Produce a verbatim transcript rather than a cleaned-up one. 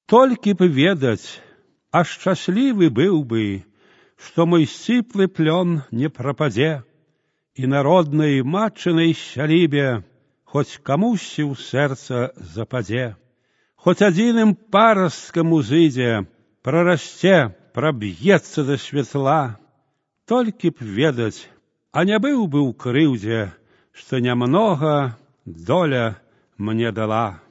Толькі б ведаць, а шчаслівы быў бы, што мой сціплы плён не прападзе, і на роднай матчынай сялібе хоць камусьці ў сэрца западзе, хоць адзіным парасткам узыдзе, прарасце, праб'ецца да святла. Толькі б ведаць, а не быў бы ў крыўдзе, што нямнога доля мне дала.